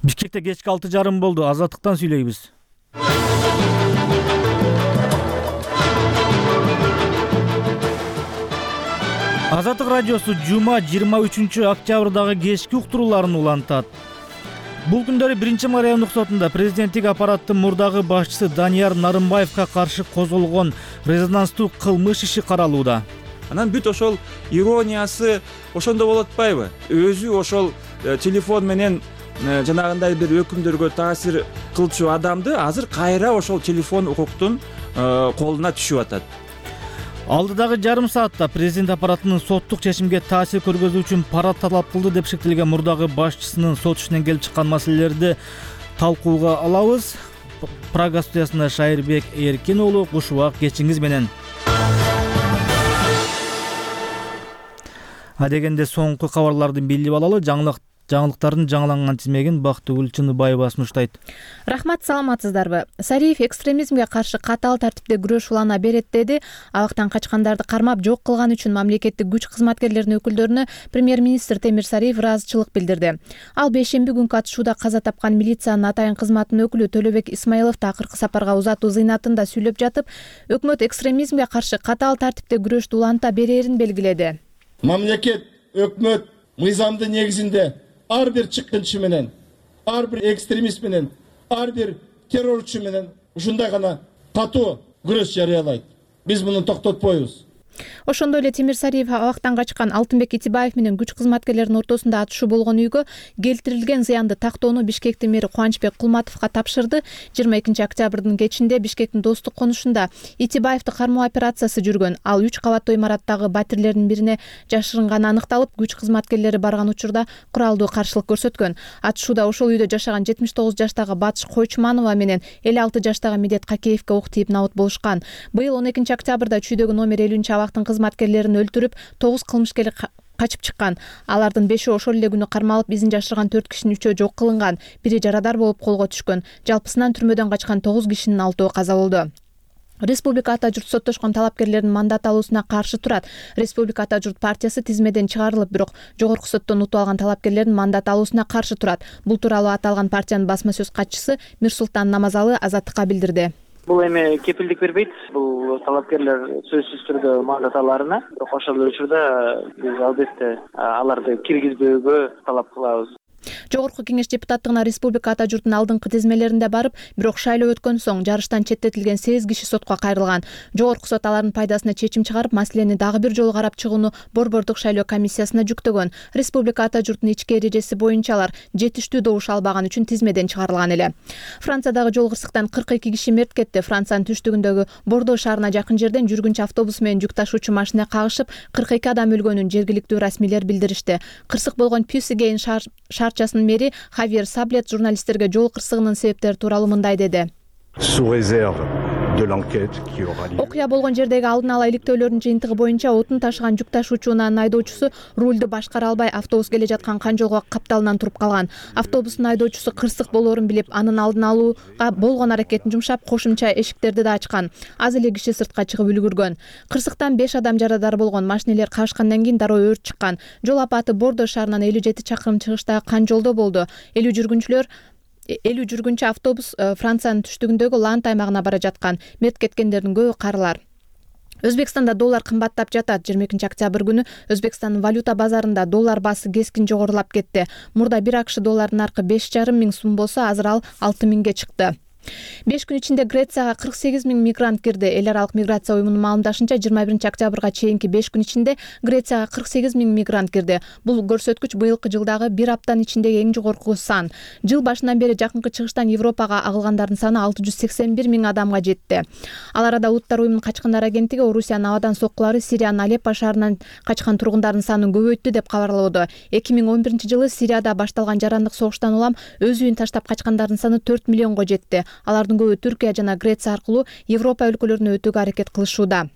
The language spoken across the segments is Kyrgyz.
Бишкекте кечки 6:30 болду. Азаттыктан сүйлөйбүз. Азаттык радиосу жума 23 октябрдагы кечки уктурууларын улантат. Бул күндөрү 1-май райондук сотунда президенттик аппараттын мурдагы башчысы Данияр Нарымбаевга каршы козголгон резонанстуу кылмыш иши каралууда. Анан бүт ошол ирониясы ошондо болуп атпайбы? Өзү ошол телефон менен жанагындай бир өкүмдөргө таасир кылчу адамды азыр кайра ошол телефон укуктун колуна түшүп атат. Алдыдагы жарым саатта президент аппаратынын соттук чечимге таасир көргөзүү үчүн пара талап кылды деп шектелген мурдагы башчысынын сот ишинен келип чыккан маселелерди талкууга алабыз. Прага студиясында Шайырбек Эркин уулу, куш убак кечиңиз менен. Адегенде соңку кабарларды билип алалы. Жаңылыктардын жаңыланган тизмегин Бактыгүл Чыныбаева сунуштайт. Рахмат, саламатсыздарбы? Сариев экстремизмге каршы катаал тартипте күрөш улана берет деди. Абактан качкандарды кармап жок кылган үчүн мамлекеттик күч кызматкерлеринин өкүлдөрүнө премьер-министр Темир Сариев ыраазычылык билдирди. Ал бейшемби күнкү атышууда каза тапкан милициянын атайын кызматынын өкүлү Төлөбек Исмаиловду акыркы сапарга узатуу зыйнатында сүйлөп жатып, өкмөт экстремизмге каршы катаал тартипте күрөштү уланта берерин белгиледи. Мамлекет, өкмөт мыйзамдын негизинде ар бир чыккынчы менен, ар бир экстремист менен, ар бир террорчу менен ушундай гана катуу күрөш жарыялайт. Биз муну токтотпойбуз. Ошондой эле Темир Сариев абактан качкан Алтынбек Итибаев менен күч кызматкерлеринин ортосунда атышуу болгон үйгө келтирилген зыянды тактоону Бишкектин мэри Кубанычбек Кулматовго тапшырды. 22 октябрдын кечинде Бишкектин Достук конушунда Итибаевди кармоо операциясы жүргөн. Ал 3 кабаттуу имараттагы батирлердин бирине жашырынганы аныкталып, күч кызматкерлери барган учурда куралдуу каршылык көрсөткөн. Атышууда ошол үйдө жашаган 79 жаштагы Батыш Койчуманова менен 56 жаштагы Медет Какеевке оқ тийип набыт болушкан. Быйыл 12 октябрда чүйдөгү номер 50 абактын кызматкерлерин өлтүрүп, 9 кылмышкер качып чыккан. Алардын 5-и ошол эле күнү кармалып, изин жашырган 4 кишинин 3-өө жок кылынган, бири жарадар болуп колго түшкөн. Жалпысынан түрмөдөн качкан 9 кишинин 6-ыы каза болду. Республика Ата журт соттошкон талапкерлердин мандат алуусуна каршы турат. Республика Ата журт партиясы тизмеден чыгарылып, бирок жогорку соттон утуп алган талапкерлердин мандат алуусуна каршы турат. Бул тууралуу аталган партиянын басма сөз катчысы Мирсултан Намазалы Азаттыкка билдирди. Бул эми кепилдик бербейт. Бул талапкерлер сөзсүз түрдө мандат аларына. Бирок ошол учурда биз албетте аларды киргизбөөгө талап кылабыз. Жогорку кеңеш депутаттыгына Республика Ата журтунун алдыңкы тизмелеринде барып, бирок шайлоо өткөн соң жарыштан четтетилген 8 киши сотко кайрылган. Жогорку сот алардын пайдасына чечим чыгарып, маселени дагы бир жолу карап чыгууну Борбордук шайлоо комиссиясына жүктөгөн. Республика Ата журтунун ички эрежеси боюнча алар жетиштүү добуш албаган үчүн тизмеден чыгарылган эле. Франциядагы жол кырсыктан 42 киши мерт кетти. Франциянын түштүгүндөгү Бордо шаарына жакын жерден жүргүнчү автобус менен жүк ташуучу машина кагышып, 42 адам өлгөнүн жергиликтүү расмийлер билдиришти. Кырсык болгон Пюссегейн шаарчасынын мэри Хавьер Саблет журналисттерге жол кырсыгынын себептери тууралуу мындай деди. Окуя болгон жердеги алдын ала иликтөөлөрдүн жыйынтыгы боюнча отун ташыган жүк ташуучунун айдоочусу рулду башкара албай автобус келе жаткан канжолго капталынан туруп калган. Автобустун айдоочусу кырсык болоорун билип, анын алдын алууга болгон аракетин жумшап, кошумча эшиктерди да ачкан. Аз эле киши сыртка чыгып үлгүргөн. Кырсыктан 5 адам жарадар болгон. Машинелер кабышкандан кийин дароо өрт чыккан. Жол апаты Бордо шаарынан 57 чакырым чыгыштагы канжолдо болду. 50 жүргүнчү автобус Франциянын түштүгүндөгү Лант аймагына бара жаткан. Мерт кеткендердин көбү карылар. Өзбекстанда доллар кымбаттап жатат. 22 октябрь күнү Өзбекстандын валюта базарында доллар баасы кескин жогорулап кетти. Мурда 1 акш долларынын наркы 5,5 миң сум болсо, азыр ал 6 миңге чыкты. 5 күн ичинде Грецияга 48 миң мигрант кирди. Эл аралык миграция уюмунун маалымдашынча 21 октябрга чейинки 5 күн ичинде Грецияга 48 миң мигрант кирди. Бул көрсөткүч быйылкы жылдагы бир аптанын ичиндеги эң жогорку сан. Жыл башынан бери жакынкы чыгыштан Европага агылгандардын саны 681 миң адамга жетти. Ал арада Улуттар уюмунун качкындар агенттиги Орусиянын абадан соккулары Сириянын Алеппо шаарынан качкан тургундардын санын көбөйттү деп кабарлоодо. 2011 жылы Сирияда башталган жарандык согуштан улам өз үйүн таштап качкандардын саны 4 миллионго жетти. Алардын көбү Түркия жана Греция аркылуу Европа өлкөлөрүнө өтүүгө аракет кылышууда.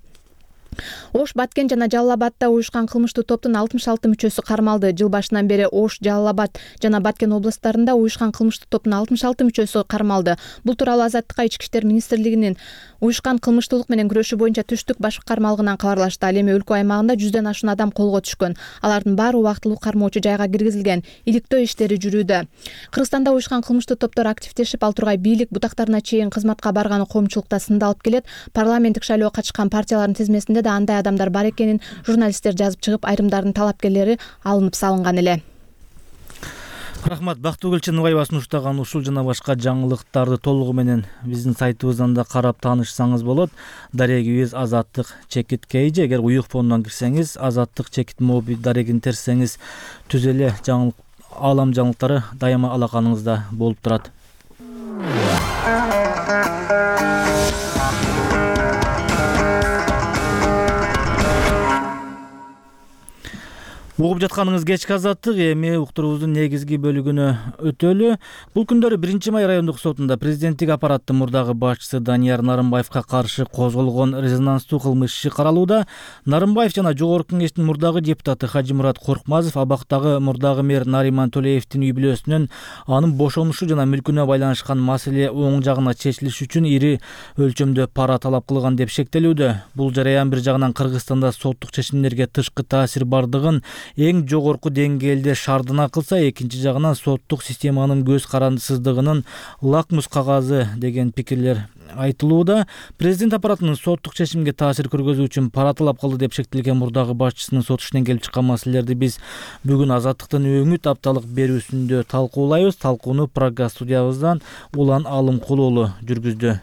Ош, Баткен жана Жалал Абадда уюшкан кылмыштуу топтун 66 мүчөсү кармалды. Жыл башынан бери Ош, Жалал Абад жана Баткен областтарында уюшкан кылмыштуу топтун 66 мүчөсү кармалды. Бул тууралуу Азаттыкка Ички иштер министрлигинин уюшкан кылмыштуулук менен күрөшүү боюнча түштүк башкармалыгынан кабарлашты. Ал эми өлкө аймагында 100дөн ашуун адам колго түшкөн. Алардын баары убактылуу кармоочу жайга киргизилген. Иликтөө иштери жүрүүдө. Кыргызстанда уюшкан кылмыштуу топтор активдешип, ал тургай бийлик бутактарына чейин кызматка барганы коомчулукта сындалып келет. Парламенттик шайлоого катышкан партиялардын тизмесинде да андай адамдар бар экенин журналисттер жазып чыгып, айрымдардын талапкерлери алынып салынган эле. Рахмат. Бактыгүл Чыныбаева сунуштаган ушул жана башка жаңылыктарды толугу менен биздин сайтыбыздан да карап таанышсаңыз болот. Дарегибиз Азаттык чекит KG. Эгер уюк фондон кирсеңиз, Азаттык чекит моби дарегин терсеңиз, түз эле аалам жаңылыктары дайыма алаканыңызда болуп турат. Угуп жатканыңыз кечки азаттык, эми уктуруубуздун негизги бөлүгүнө өтөлү. Бул күндөрү 1-май райондук сотунда президенттик аппараттын мурдагы башчысы Данияр Нарымбаевка каршы козголгон резонанстуу кылмыш иши каралууда. Нарымбаев жана Жогорку Кеңештин мурдагы депутаты Хажимурат Коркмазов абактагы мурдагы мэр Нариман Төлеевдин үй бүлөсүнөн анын бошонушу жана мүлкүнө байланышкан маселе оң жагына чечилиш үчүн ири өлчөмдө пара талап кылган деп шектелүүдө. Бул жараян бир жагынан Кыргызстанда соттук чечимдерге тышкы таасир бардыгын эң жогорку деңгээлде шаардына кылса, экинчи жагынан соттук системанын көз карандысыздыгынын лакмус кагазы деген пикирлер айтылууда. Президент аппаратынын соттук чечимге таасир көргөзүү үчүн пара талап кылды деп шектелген мурдагы башчысынын сот ишинен келип чыккан маселелерди биз бүгүн Азаттыктын өңүт апталык берүүсүндө талкуулайбыз. Талкууну Прага студиябыздан Улан Алымкул уулу жүргүздү.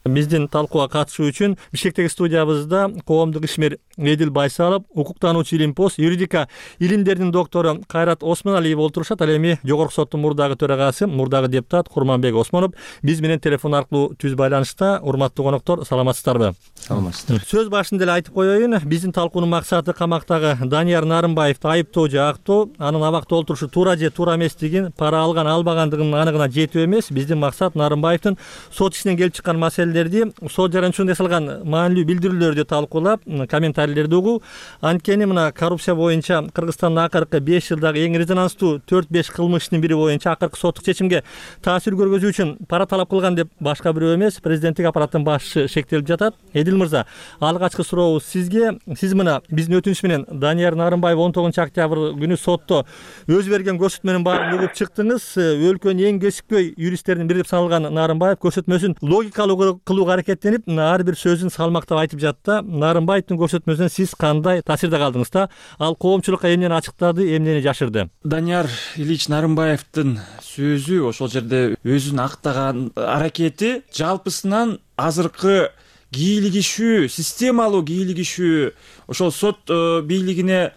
Биздин талкууга катышуу үчүн Бишкектеги студиябызда коомдук ишмер Эдил Байсалов, укуктануучу илимпоз, юридика илимдеринин доктору Кайрат Осмоналиев олтурушат. Ал эми Жогорку соттун мурдагы төрагасы, мурдагы депутат Курманбек Осмонов биз менен телефон аркылуу түз байланышта. Урматтуу коноктор, саламатсыздарбы? Саламатсыздар. Сөз башында эле айтып коеюн, биздин талкуунун максаты камактагы Данияр Нарымбаевди айыптоо же актоо, анын абакта олтурушу туура же туура эместигин, пара алган албагандыгынын аныгына жетүү эмес. Биздин максат Нарымбаевдин сот ишинен келип чыккан маселелерди, сот жаранчылыгында эсалган маанилүү билдирүүлөрдү талкуулап, комментарийлерди угуу. Анткени мына коррупция боюнча Кыргызстандын акыркы 5 жылдагы эң резонанстуу 4-5 кылмыш ишинин бири боюнча акыркы соттук чечимге таасир көргөзүү үчүн пара талап кылган деп башка бирөө эмес, президенттик аппараттын башчысы шектелип жатат. Эдил мырза, алгачкы сурообуз сизге. Сиз мына биздин өтүнүч менен Данияр Нарымбаев 19-октябрь күнү сотто өзү берген көрсөтмөнүн баарын угуп чыктыңыз. Өлкөнүн эң кесипкөй юристтердин бири деп саналган Нарымбаев көрсөтмөсүн логикалуу кылууга аракеттенип, ар бир сөзүн салмактап айтып жатты. Нарымбаевдин көрсөтмөсүнөн сиз кандай таасирде калдыңыз да? Ал коомчулукка эмнени ачыктады, эмнени жашырды? Данияр Ильич Нарымбаевдин сөзү, ошол жерде өзүн актаган аракети жалпысынан азыркы кийлигишүү, системалуу кийлигишүү, ошол сот бийлигине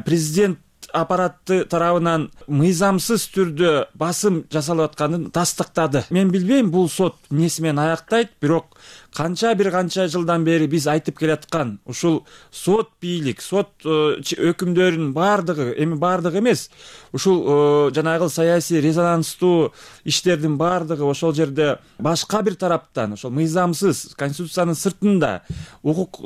президент аппараты тарабынан мыйзамсыз түрдө басым жасалып атканын тастыктады. Мен билбейм бул сот эмнеси менен аяктайт, бирок канча жылдан бери биз айтып келаткан ушул сот бийлик, сот өкүмдөрүнүн бардыгы, эми бардыгы эмес, ушул жанагы саясий резонанстуу иштердин бардыгы ошол жерде башка бир тараптан, ошол мыйзамсыз, конституциянын сыртында, укук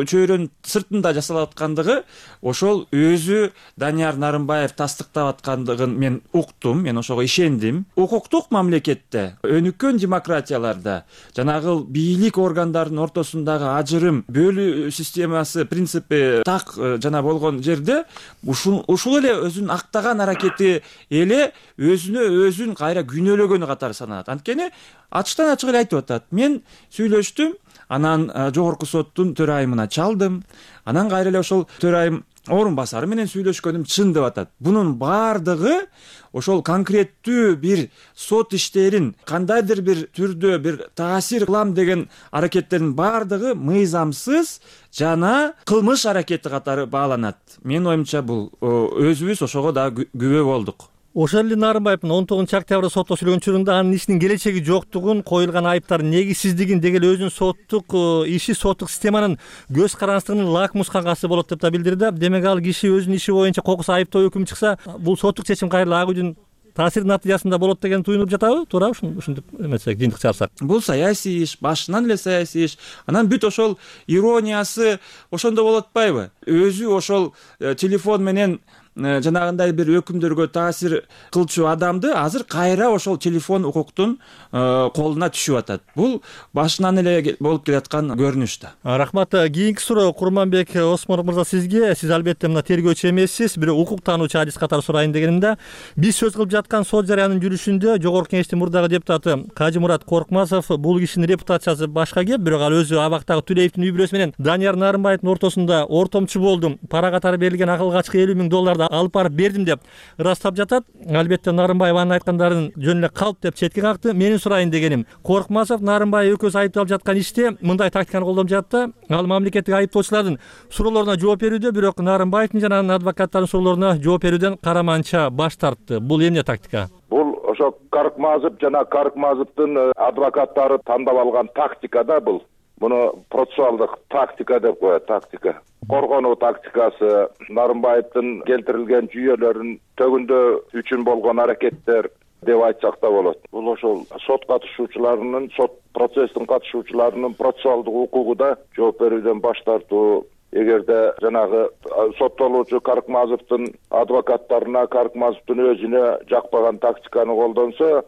чөйрөнүн сыртында жасалып аткандыгы ошол өзү Данияр Нарымбаев тастыктап аткандыгын мен уктум, мен ошого ишендим. Укуктук мамлекетте, өнүккөн демократияларда жанагы бийлик органдардын ортосундагы ажырым, бөлүү системасы, принципи так жана болгон жерде ушул эле өзүнүн актаган аракети эле өзүн кайра күнөөлөгөнү катары саналат. Анткени ачыктан ачык эле айтып атат. Мен сүйлөштүм, анан жогорку соттун төрайымына чалдым, анан кайра эле ошол төрайым орун басары менен сүйлөшкөнүм чын деп атат. Бунун бардыгы ошол конкреттүү бир сот иштерин кандайдыр бир түрдө бир таасир кылам деген аракеттердин бардыгы мыйзамсыз жана кылмыш аракети катары бааланат. Менин оюмча бул өзүбүз ошого да күбө болдук. Ошол эле Нарымбаевдин 19-октябрда сотто сүйлөгөн учурунда анын ишинин келечеги жоктугун, коюлган айыптардын негизсиздигин, деги эле өзүнүн соттук иши, соттук системанын көз карандысыздыгынын лакмус кагазы болот деп да билдирди. Демек ал киши өзүнүн иши боюнча кокус айыптоо өкүм чыкса, бул соттук чечим кайра ак үйдүн таасирдин натыйжасында болот деген туюнуп жатабы, туурабы? Ушинтип эмесек, жыйынтык чыгарсак. Бул саясий иш, башынан эле саясий иш. Анан бүт ошол ирониясы ошондо болуп атпайбы? Өзү ошол телефон менен жанагындай бир өкүмдөргө таасир кылчу адамды азыр кайра ошол телефон укуктун колуна түшүп атат. Бул башынан эле болуп келаткан көрүнүш да. Рахмат. Кийинки суроо Курманбек Осмонов мырза сизге. Сиз албетте мына тергөөчү эмессиз, бирок укук таануучу адис катары сурайын дегенимде, биз сөз кылып жаткан сот жарыянын жүрүшүндө Жогорку Кеңештин мурдагы депутаты Кажымурат Коркмазов бул кишинин репутациясы башка кеп, бирок ал өзү абактагы Түлеевдин үй бүлөсү менен Данияр Нарымбаевдин ортосунда ортомчу болдум, пара катары берилген акылгачкы 50 000 долларды алып барып бердим деп ырастап жатат. Албетте Нарымбаев анын айткандарын жөн эле калп деп четке какты. Менин сурайын дегеним, Коркмазов, Нарымбаев экөөсү айыпталып жаткан иште мындай тактиканы колдонуп жатты. Ал мамлекеттик айыптоочулардын суроолоруна жооп берүүдө, бирок Нарымбаевдин жана анын адвокаттарынын суроолоруна жооп берүүдөн караманча баш тартты. Бул эмне тактика? Бул ошо Карыкмазов жана Карыкмазовдун адвокаттары тандап алган тактика да бул. Муну процессуалдык тактика деп коет, тактика. Коргонуу тактикасы, Нарымбаевдин келтирилген жүйөлөрүн төгүндөө үчүн болгон аракеттер деп айтсак да болот. Бул ошол сот катышуучуларынын, сот процесстин катышуучуларынын процессуалдык укугу да жооп берүүдөн баш тартуу. Эгерде жанагы соттолуучу Карыкмазовдун адвокаттарына, Карыкмазовдун өзүнө жакпаган тактиканы колдонсо,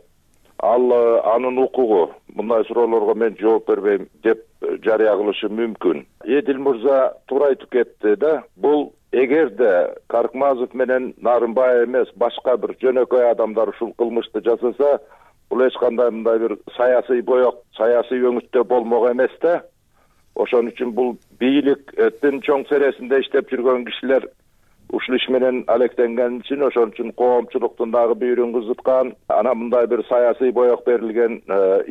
ал анын укугу мындай суроолорго мен жооп бербейм деп жарыя кылышы мүмкүн. Эдил мырза туура айтып кетти да. Бул эгерде Карыкмазов менен Нарымбаев эмес, башка бир жөнөкөй адамдар ушул кылмышты жасаса, бул эч кандай мындай бир саясий боек, саясий өңүттө болмок эмес да. Ошон үчүн бул бийликтин чоң сересинде иштеп жүргөн кишилер ушул иш менен алектенген үчүн, ошон үчүн коомчулуктун дагы бүйүрүн кызыткан, анан мындай бир саясий боек берилген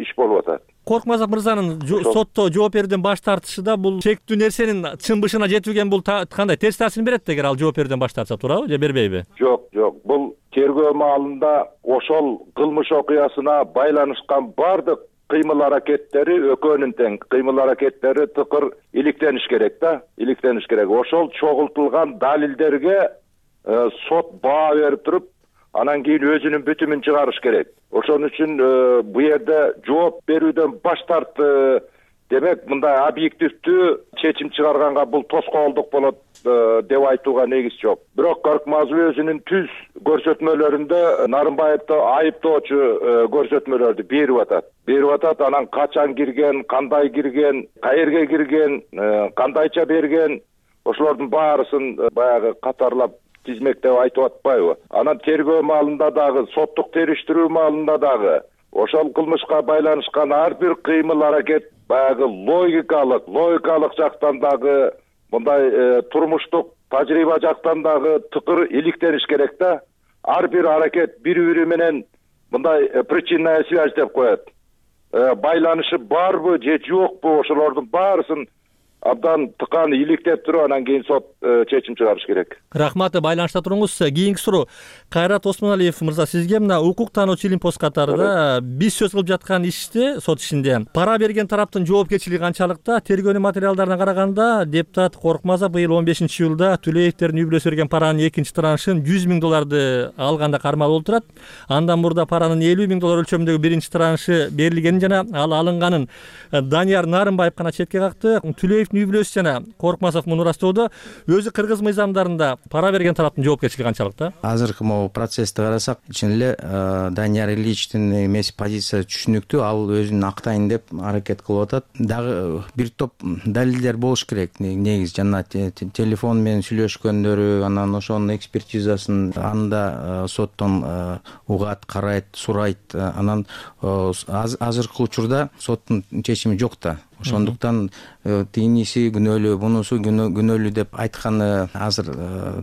иш болуп атат. Коркмазов мырзанын сотто жооп берүүдөн баш тартышы да бул чектүү нерсенин чын бышына жетүүгөн бул кандай терс таасирин берет эгер ал жооп берүүдөн баш тартса, туурабы же бербейби? Жок. Бул тергөө маалында ошол кылмыш окуясына байланышкан бардык кыймыл аракеттери экөөнүн тең, кыймыл аракеттери тыкыр иликтениш керек да, иликтениш керек. Ошол чогултулган далилдерге сот баа берип туруп, анан кийин өзүнүн бүтүмүн чыгарыш керек. Ошон үчүн бу жерде жооп берүүдөн баш тартты. Демек, мындай объективдүү чечим чыгарганга бул тоскоолдук болот деп айтууга негиз жок. Бирок Карыкмазов өзүнүн түз көрсөтмөлөрүндө Нарымбаевди айыптоочу көрсөтмөлөрдү берип атат. Анан качан кирген, кандай кирген, каерге кирген, кандайча берген, ошолордун баарысын баягы катарлап тизмектеп айтып атпайбы? Анан тергөө маалында дагы, соттук териштирүү маалында дагы ошол кылмышка байланышкан ар бир кыймыл аракет баягы логикалык жактан дагы, мындай турмуштук тажрыйба жактан дагы тыкыр иликтениш керек да. Ар бир аракет бири-бири менен мындай причинная связь деп коет. Байланышы барбы же жокпу, ошолордун баарысын абдан тыкан иликтеп туруп, анан кийин сот чечим чыгарыш керек. Рахмат, байланышта туруңуз. Кийинки суроо Кайрат Осмоналиев мырза сизге. Мына укук таануучу Илимпоз катарында биз сөз кылып жаткан иште, сот ишинде пара берген тараптын жоопкерчилиги канчалыкта? Тергөөнүн материалдарына караганда, депутат Коркмазов быйыл 15-жылда Түлеевдердин үй бүлөсү берген паранын экинчи траншын 100 000 долларды алганда кармалып отурат. Андан мурда паранын 50 000 доллар өлчөмүндөгү биринчи траншы берилгенин жана ал алынганын Данияр Нарымбаев гана четке какты. Түлеев үй бүлөсү жана Коркмазов муну ырастоодо өзү кыргыз мыйзамдарында пара берген тараптын жоопкерчилиги канчалыкта? Азыркы могу процессти карасак, чын эле Данияр Ильичтин эмеси позициясы түшүнүктүү, ал өзүн актайын деп аракет кылып атат. Дагы бир топ далилдер болуш керек. Негизи жана телефон менен сүйлөшкөндөрү, анан ошонун экспертизасын анда соттон угат, карайт, сурайт. Анан азыркы учурда соттун чечими жок да. Ошондуктан тигиниси күнөөлүү, бунусу күнөөлүү деп айтканы азыр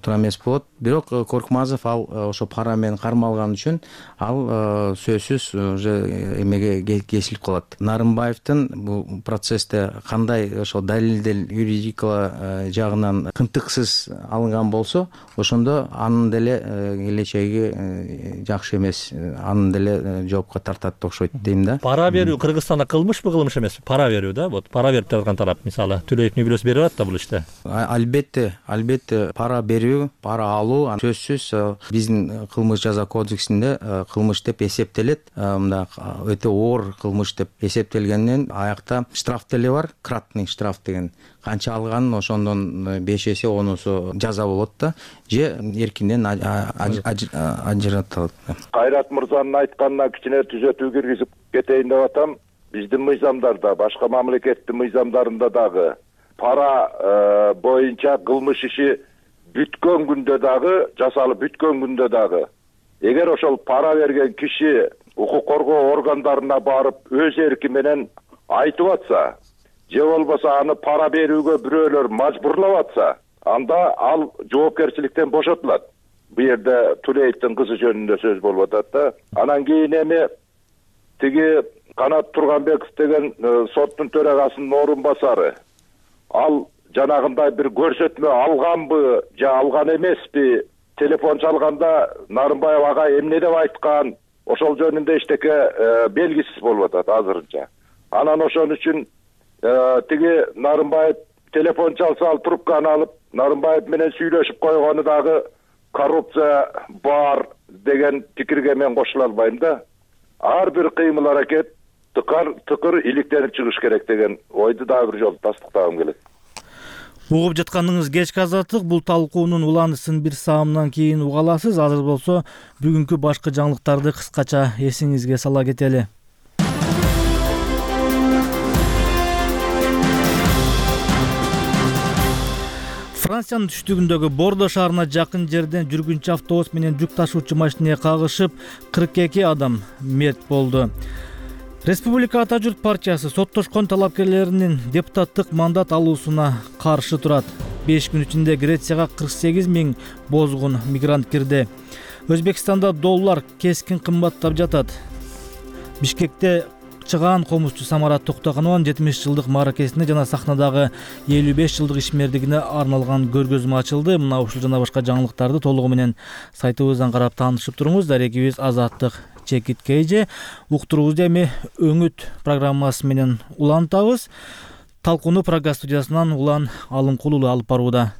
туура эмес болот. Бирок Коркмазов ал ошо пара менен кармалган үчүн ал сөзсүз уже эмеге кесилип калат. Нарымбаевдин бул процессте кандай ошо далилдер юридикалык жагынан кынтыксыз алынган болсо, ошондо анын деле келечеги жакшы эмес, анын деле жоопко тартат окшойт дейм да. Пара берүү Кыргызстанда кылмышпы, кылмыш эмеспи? Пара берүү да. да, вот пара берип жаткан тарап, мисалы Төлөевдин үй-бүлөсү берип атат да бул иште. Албетте пара берүү, пара алуу сөзсүз биздин кылмыш жаза кодексинде кылмыш деп эсептелет. Мында өтө оор кылмыш деп эсептелгенден аякта штраф деле бар, кратный штраф деген. Канча алганын ошондон 5 эсе 10 эсе жаза болот да, же эркинден ажыратылат. Кайрат мырзанын айтканына кичине түзөтүү киргизип кетейин деп атам. Биздин мыйзамдарда, башка мамлекеттин мыйзамдарында дагы пара боюнча кылмыш иши бүткөн күндө дагы, жасалып бүткөн күндө дагы, эгер ошол пара берген киши укук коргоо органдарына барып өз эрки менен айтып атса, же болбосо аны пара берүүгө бирөөлөр мажбурлап атса, анда ал жоопкерчиликтен бошотулат. Бу жерде Төлөевдин кызы жөнүндө сөз болуп атат да. Анан кийин тиги Канат Турганбеков деген соттун төрагасынын орун басары, ал жанагындай бир көрсөтмө алганбы же алган эмеспи, телефон чалганда Нарымбаев ага эмне деп айткан, ошол жөнүндө эчтеке белгисиз болуп атат азырынча. Анан ошон үчүн тиги Нарымбаев телефон чалса ал трубканы алып Нарымбаев менен сүйлөшүп койгону дагы коррупция бар деген пикирге мен кошула албайм да. Ар бир кыймыл аракет тыкыр иликтенип чыгыш керек деген ойду дагы бир жолу тастыктагым келет. Угуп жатканыңыз кечки азаттык. Бул талкуунун уланысын бир саамдан кийин уга аласыз. Азыр болсо бүгүнкү башкы жаңылыктарды кыскача эсиңизге сала кетели. Франциянын түштүгүндөгү Бордо шаарына жакын жерден жүргүнчү автобус менен жүк ташуучу машинеге кагышып 42 адам мерт болду. Республика Ата журт партиясы соттошкон талапкерлеринин депутаттык мандат алуусуна каршы турат. 5 күн ичинде Грецияга 48 000 бозгун мигрант кирди. Өзбекстанда доллар кескин кымбаттап жатат. Бишкекте чыгаан комузчу Самара Токтогонованын 70 жылдык мааракесине жана сахнадагы 55 жылдык ишмердигине арналган көргөзмө ачылды. Мына ушул жана башка жаңылыктарды толугу менен сайтыбыздан карап таанышып туруңуз. Дарегибиз Азаттык Чекиткейже. Уктуруубузду эми Өңүт программасы менен улантабыз. Талкууну Прага студиясынан Улан Алымкул уулу алып барууда.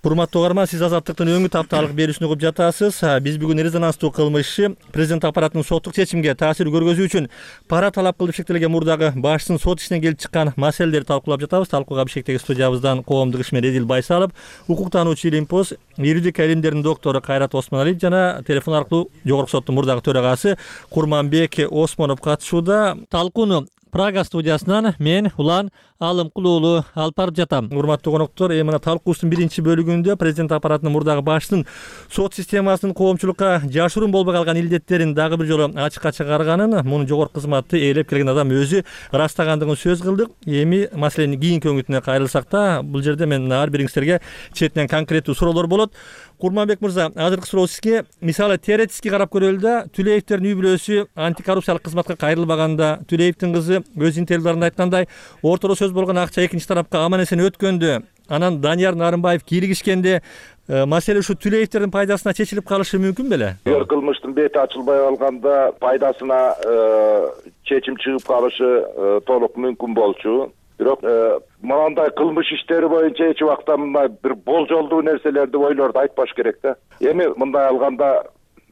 Урматтуу угарман, сиз Азаттыктын Өңүт апталык берүүсүн угуп жатасыз. Биз бүгүн резонанстуу кылмыш иши президент аппаратынын соттук чечимге таасир көргөзүү үчүн пара талап кылып шектелген мурдагы башчынын сот ишинен келип чыккан маселелерди талкуулап жатабыз. Талкууга Бишкектеги студиябыздан коомдук ишмер Эдил Байсалов, укуктануучу илимпоз, юридика илимдеринин доктору Кайрат Осмоналиев жана телефон аркылуу Жогорку соттун мурдагы төрагасы Курманбек Осмонов катышууда. Талкууну Прага студиясынан мен Улан Алымкул уулу алып барып жатам. Урматтуу коноктор, мына талкуубуздун биринчи бөлүгүндө президент аппаратынын мурдагы башчынын сот системасынын коомчулукка жашыруун болбой калган илдеттерин дагы бир жолу ачыкка чыгарганын, муну жогорку кызматты ээлеп келген адам өзү ырастагандыгын сөз кылдык. Эми маселенин кийинки өңүтүнө кайрылсак да, бул жерде мен ар бириңиздерге четинен конкреттүү суроолор болот. Курманбек мырза, азыркы суроо сизге. Мисалы теоретически карап көрөлү да, Төлөевдин үй бүлөсү антикоррупциялык кызматка кайрылбаганда, Төлөевдин кызы өз интервьюларында айткандай, ортодо сөз болгон акча экинчи тарапка аман эсен өткөндө, анан Данияр Нарымбаев киргишкенде маселе ушу Төлөевдин пайдасына чечилип калышы мүмкүн беле? Эгер кылмыштын бети ачылбай калганда пайдасына чечим чыгып калышы толук мүмкүн болчу. Бирок мындай кылмыш иштери боюнча эч убакта мындай бир болжолдуу нерселерди, ойлорду айтпаш керек да. Эми мындай алганда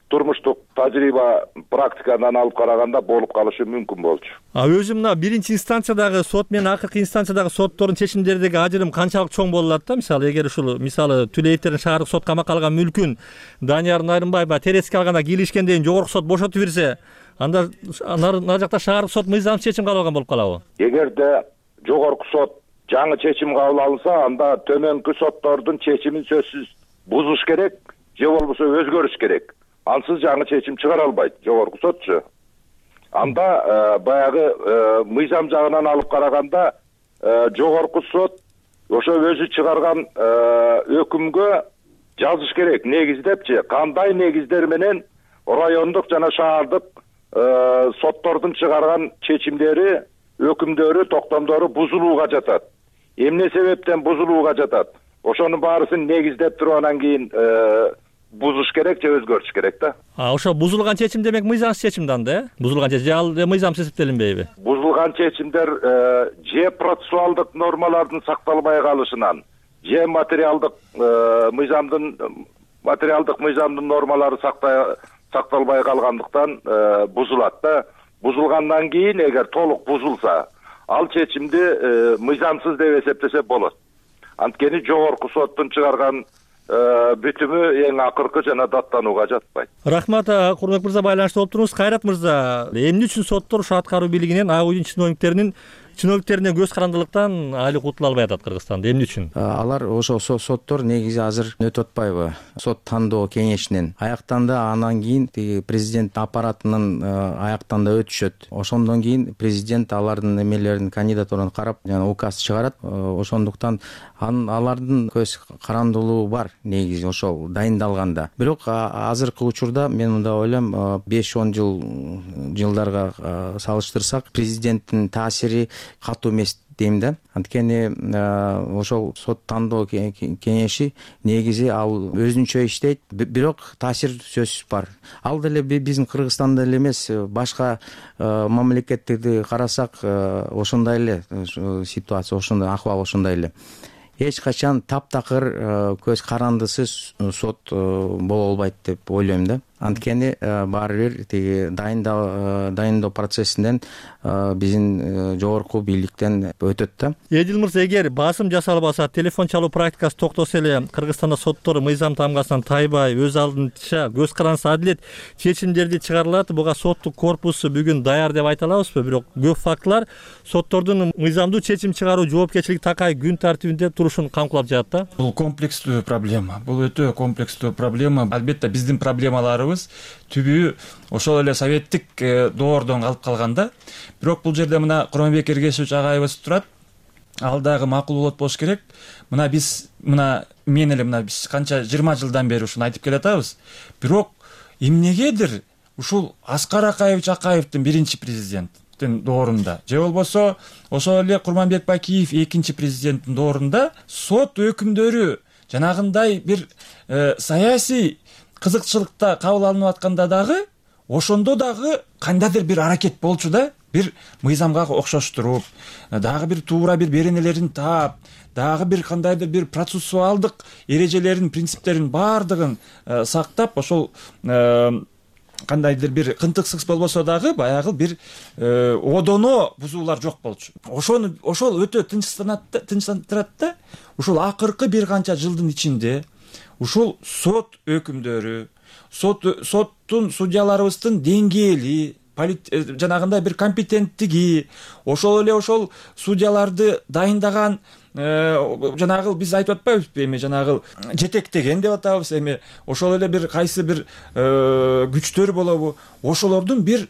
турмуштук тажрыйба, практикадан алып караганда болуп калышы мүмкүн болчу. Өзү мына биринчи инстанциядагы сот менен акыркы инстанциядагы соттордун чечимдеридеги ажырым канчалык чоң болуп атат да? Мисалы, эгер ушул Төлөевдин шаардык сот камакка алган мүлкүн Данияр Нарымбаев теоретически алганда кийлишкенден жогорку сот бошотуп берсе, анда нары жакта шаардык сот мыйзамсыз чечим кабыл алган болуп калабы? Эгерде жогорку сот жаңы чечим кабыл алынса, анда төмөнкү соттордун чечимин сөзсүз бузуш керек же болбосо өзгөрүш керек. Ансыз жаңы чечим чыгара албайт жогорку сотчу. Анда баягы мыйзам жагынан алып караганда жогорку сот ошо өзү чыгарган өкүмгө жазыш керек, негиздепчи, кандай негиздер менен райондук жана шаардык соттордун чыгарган чечимдери, өкүмдөрү, токтомдору бузулууга жатат. Эмне себептен бузулууга жатат? Ошонун баарысын негиздеп туруп анан кийин бузуш керек же өзгөртүш керек да. Ошо бузулган чечим демек мыйзамсыз чечим да анда, Бузулган чечим ал мыйзамсыз эсептелинбейби? Бузулган чыгарылган чечимдер же процессуалдык нормалардын сакталбай калышынан, же материалдык мыйзамдын нормалары сакталбай калгандыктан бузулат да. Бузулгандан кийин эгер толук бузулса, ал чечимди мыйзамсыз деп эсептесе болот. Анткени жогорку соттун чыгарган бүтүмү эң акыркы жана даттанууга жатпайт. Рахмат, Курманбек мырза, байланышта болуп туруңуз. Кайрат мырза, эмне үчүн соттор ушу аткаруу бийлигинен ак уйдун чиновниктерине көз карандылыктан али кутула албай атат Кыргызстанда? Эмне үчүн? Алар ошо соттор негизи азыр өтүп атпайбы? Сот тандоо кеңешинен аяктан да, анан кийин президент аппаратынын аяктан да өтүшөт. Ошондон кийин президент алардын эмелерин, кандидатураны карап, жана указ чыгарат. Ошондуктан алардын көз карандылыгы бар негизи ошол дайындалганда. Бирок азыркы учурда мен мындай ойлойм, 5-10 жылдарга салыштырсак, президенттин таасири катуу эмес дейм да. Анткени ошол сот тандоо кеңеши негизи ал өзүнчө иштейт, бирок таасир сөзсүз бар. Ал деле биздин Кыргызстанда эле эмес, башка мамлекеттерди карасак ошондой эле ситуация, ошондой ахвал ошондой эле. Эч качан таптакыр көз карандысыз сот боло албайт деп ойлойм да. Анткени баары бир тиги дайындоо процессинен биздин жогорку бийликтен өтөт да. Эдил мырза, эгер басым жасалбаса, телефон чалуу практикасы токтосо эле, Кыргызстанда соттор мыйзам тамгасынан тайбай, өз алдынча көз карандысыз адилет чечимдерди чыгарылат. Буга соттук корпусу бүгүн даяр деп айта алабызбы? Бирок көп фактылар соттордун мыйзамдуу чечим чыгаруу жоопкерчилиги такай күн тартибинде турушун камкылап жатат да. Бул комплекстүү проблема. Бул өтө комплекстүү проблема. Албетте биздин проблемаларыбыз түбү ошол эле советтик доордон калып калганда. Бирок бул жерде мына Курманбек Эргешевич агайыбыз турат. Ал дагы макул болуш керек. Биз канча 20 жылдан бери ушуну айтып келатабыз. Бирок эмнегедир ушул Аскар Акаевдин биринчи президенттин доорунда, же болбосо ошол эле Курманбек Бакиев экинчи президенттин доорунда сот өкүмдөрү жанагындай бир саясий кызыкчылыкта кабыл алынып атканда дагы, ошондо дагы кандайдыр бир аракет болчу да, бир мыйзамга окшоштуруп, дагы бир туура бир беренелерин таап, дагы бир кандайдыр бир процессуалдык эрежелерин, принциптерин баардыгын сактап, ошол кандайдыр бир кынтыксыз болбосо дагы баягы бир одоно бузуулар жок болчу. Ошол өтө тынчтандырат да. Ушул акыркы бир канча жылдын ичинде ушул сот өкүмдөрү, соттун судьяларыбыздын деңгээли, жанагындай бир компетенттиги, ошол эле ошол судьяларды дайындаган жанагы биз айтып атпайбызбы, эми жанагы жетектеген деп атабыз, эми ошол эле бир кайсы бир күчтөр болобу, ошолордун бир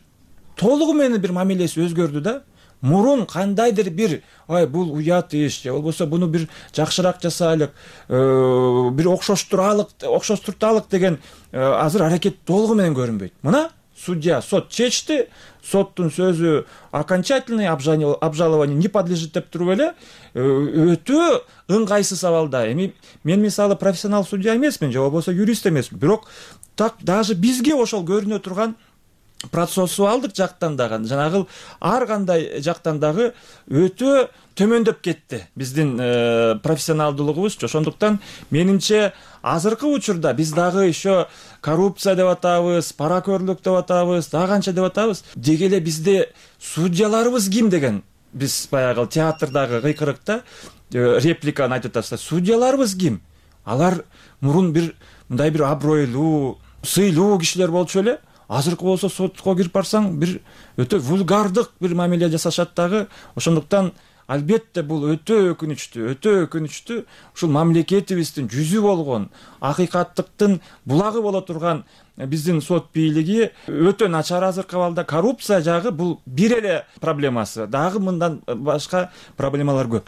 толугу менен бир мамилеси өзгөрдү да. Мурун кандайдыр бир бул уят иш, же болбосо буну бир жакшыраак жасайлык, бир окшоштурталык деген азыр аракет толугу менен көрүнбөйт. Мына судья, сот чечти, соттун сөзү окончательный, обжалование не подлежит деп туруп эле өтө ыңгайсыз абалда. Эми мен мисалы профессионал судья эмесмин, же болбосо юрист эмесмин, бирок так даже бизге ошол көрүнө турган процессуалдык жактан дагы, жанагы ар кандай жактан дагы өтө төмөндөп кетти биздин профессионалдуулугубуз. Ошондуктан менимче азыркы учурда биз дагы еще коррупция деп атабыз, паракөрлүк деп атабыз, дагы канча деп атабыз. Деги эле бизде судьяларыбыз ким деген, биз баягы театрдагы кыйкырыкта репликаны айтып атабыз. Судьяларыбыз ким? Алар мурун бир мындай бир абройлуу, сыйлуу кишилер болчу эле. Азыркы болсо сотко кирип барсаң бир өтө вульгардык бир мамиле жасашат дагы. Ошондуктан албетте бул өтө өкүнүчтүү. Ушул мамлекетибиздин жүзү болгон, акыйкаттыктын булагы боло турган биздин сот бийлиги өтө начар азыркы абалда. Коррупция жагы бул бир эле проблемасы. Дагы мындан башка проблемалар көп.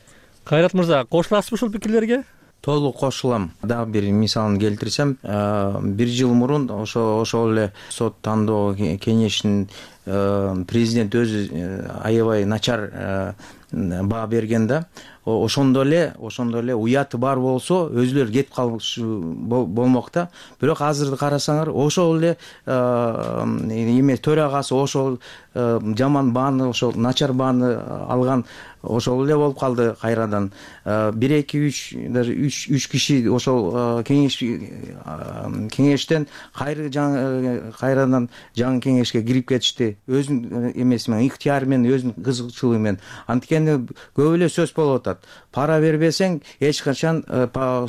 Кайрат мырза, кошуласызбы ушул пикирлерге? Толук кошулам. Дагы бир мисалын келтирсем, 1 жыл мурун ошол эле сот тандоо кеңешинин президент өзү аябай начар баа берген да. ошондо эле уяты бар болсо өзүлөрү кетип калышы болмок да. Бирок азыр карасаңар ошол эле эме төрагасы ошол жаман бааны, ошол начар бааны алган ошол эле болуп калды кайрадан. 1-2-3 киши ошол кеңештен кайрадан жаңы кеңешке кирип кетишти. Өзүнүн эмеси менен, ыктыяры менен, өзүнүн кызыкчылыгы менен. Анткени көп эле сөз болуп атат. Пара бербесең эч качан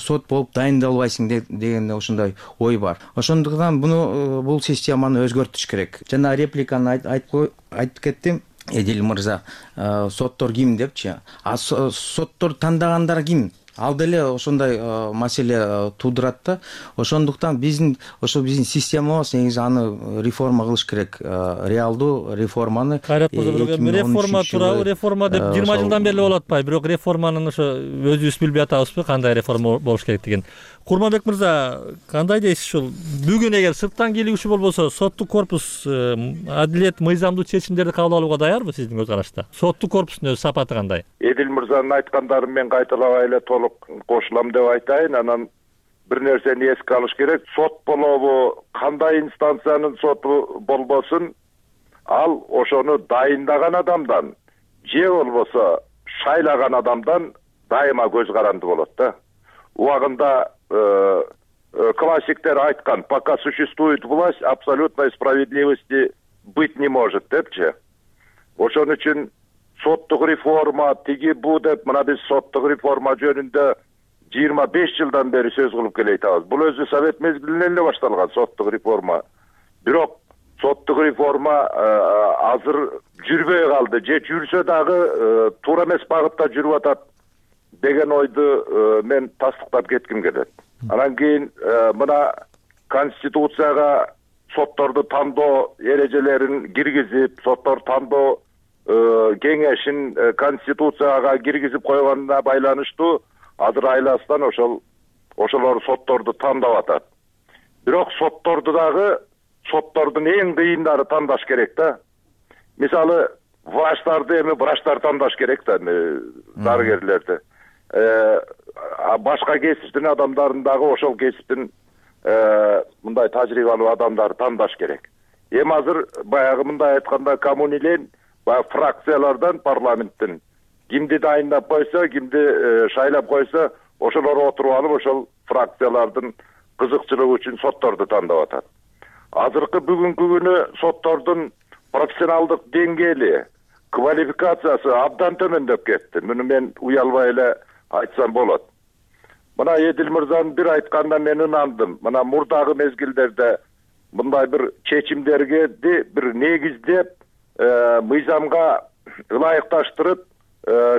сот болуп дайындалбайсың деген ошондой ой бар. Ошондуктан бул системаны өзгөртүш керек. Жана репликаны айтып кеттим. Эдил мырза, соттор ким депчи. Соттор тандагандары ким? Ал деле ошондой маселе туудурат да. Ошондуктан биздин системабыз негизи аны реформа кылыш керек. Реалдуу реформаны. Кайрат мырза, реформа туурабы, реформа деп 20 жылдан бери болуп атпайбы, бирок реформанын ошо өзүбүз билбей атабызбы кандай реформа болуш керектигин. Курманбек мырза, кандай дейсиз ушул? Бүгүн эгер сырттан келүүчү болбосо, соттук корпус адилет, мыйзамдуу чечимдерди кабыл алууга даярбы сиздин көз карашта? Соттук корпустун өзү сапаты кандай? Эдил мырзанын айткандарын мен кайталабай эле толук кошулам деп айтайын. Анан бир нерсени эске алыш керек. Сот болобу, кандай инстанциянын соту болбосун, ал ошону дайындаган адамдан же болбосо шайлаган адамдан дайыма көз каранды болот да. Убагында классиктер айткан: пока существует власть, абсолютной справедливости быть не может депчи. Ошон үчүн соттук реформа тиги бу деп, мына биз соттук реформа жөнүндө 25 жылдан бери сөз кылып келе атабыз. Бул өзү совет мезгилинен эле башталган соттук реформа. Бирок соттук реформа азыр жүрбөй калды, же жүрсө дагы туура эмес багытта жүрүп атат деген ойду мен тастыктап кетким келет. Анан кийин мына конституцияга сотторду тандоо эрежелерин киргизип, соттор тандоо кеңешин конституцияга киргизип койгонуна байланыштуу азыр айласынан ошолор сотторду тандап атат. Бирок соттордун эң кыйындары тандаш керек да. Мисалы, врачтарды врачтар тандаш керек да, дарыгерлерди. Башка кесиптин адамдарын дагы ошол кесиптин мындай тажрыйбалуу адамдарды тандаш керек. Азыр баягы мындай айтканда коммунилен фракциялардан, парламенттин кимди дайындап койсо, кимди шайлап койсо, ошолор отуруп алып, ошол фракциялардын кызыкчылыгы үчүн сотторду тандап атат. Азыркы бүгүнкү күнү соттордун профессионалдык деңгээли, квалификациясы абдан төмөндөп кетти. Муну мен уялбай эле айтсам болот. Мына Эдил мырзанын бир айтканда мен ынандым. Мына мурдагы мезгилдерде мындай бир чечимдерге бир негиздеп, мыйзамга ылайыкташтырып,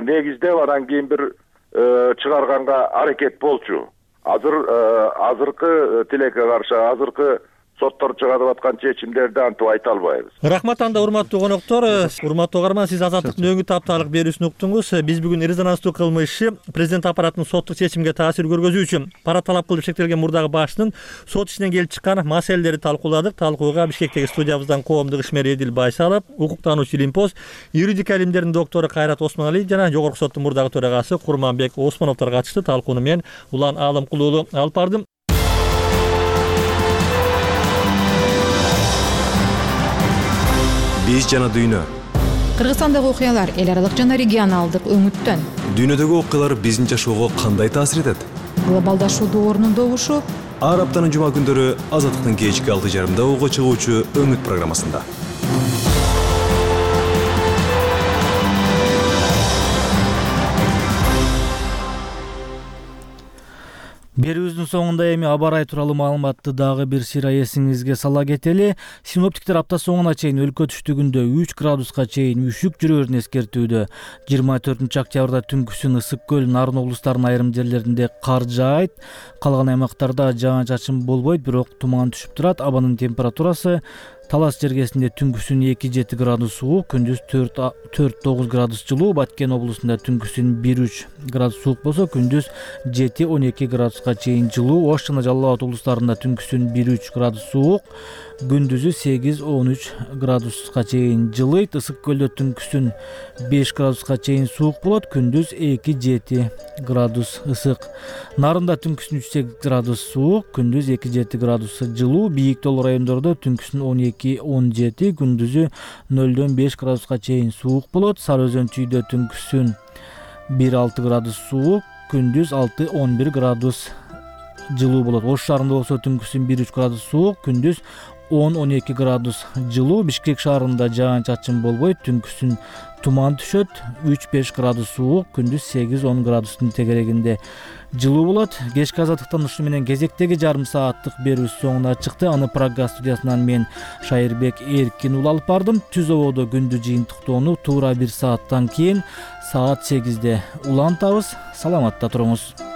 негиздеп, анан кийин бир чыгарганга аракет болчу. Азыркы тилекке каршы, азыркы соттор чыгарып аткан чечимдерди антип айта албайбыз. Рахмат анда, урматтуу коноктор. Урматтуу угарман, сиз Азаттыктын өңүт апталык берүүсүн уктуңуз. Биз бүгүн резонанстуу кылмыш иши президент аппаратынын соттук чечимге таасир көргөзүүчү пара талап кылып шектелген мурдагы башчынын сот ишинен келип чыккан маселелерди талкууладык. Талкууга Бишкектеги студиябыздан коомдук ишмер Эдил Байсалов, укуктануучу Илимпоз, юридика илимдеринин доктору Кайрат Осмоналиев жана Жогорку соттун мурдагы төрагасы Курманбек Осмоновдор катышты. Талкууну мен Улан Алымкулуулу алып бардым. Биз жана дүйнө. Кыргызстандагы окуялар эл аралык жана регионалдык өңүттөн. Дүйнөдөгү окуялар биздин жашоого кандай таасир этет? Глобалдашуу доорунун добушу. Ар аптанын жума күндөрү Азаттыктын кечки 6:30 уга чыгуучу өңүт программасында. Берүүбүздүн соңунда эми аба ырайы тууралуу маалыматты дагы бир сыйра эсиңизге сала кетели. Синоптиктер апта соңуна чейин өлкө түштүгүндө 3 градуска чейин үшүк жүрөөрүн эскертүүдө. 24 октябрда түнкүсүн Ысык көл, Нарын облустарынын айрым жерлеринде кар жаайт. Калган аймактарда жаан-чачын болбойт, бирок туман түшүп турат. Абанын температурасы Талас жергесинде түнкүсүн 2-7 градус суук, күндүз 4-9 градус жылуу, Баткен облусунда түнкүсүн 1-3 градус суук болсо, күндүз 7-12 градуска чейин жылуу, Ош жана Жалал Абад облустарында түнкүсүн 1-3 градус суук, күндүзү 8-13 градуска чейин жылыйт. Ысык көлдө түнкүсүн 5 градуска чейин суук болот, күндүз 2-7 градус ысык. Нарында түнкүсүн 3-8 градус суук, күндүз 2-7 градус жылуу. Бийик тоолуу райондордо түнкүсүн 12-17, күндүзү 0-5 градуска чейин суук болот. Сары Өзөн чүйдө түнкүсүн 1-6 градус суук, күндүз 6-11 градус жылуу болот. Ош шаарында болсо түнкүсүн 1-3 градус суук, күндүз 10-12 градус жылуу. Бишкек шаарында жаан-чачын болбойт, түнкүсүн туман түшөт, 3-5 градус суук, күндүз 8-10 градустун тегерегинде жылуу болот. Кечки азаттыктан ушуну менен кезектеги жарым сааттык берүүбүз соңуна чыкты. Аны Прогаз студиясынан мен Шайырбек Эркин уулу алып бардым. Түз ободо күндү жыйынтыктоону туура 1 сааттан кийин саат 8-де улантабыз. Саламатта туруңуз.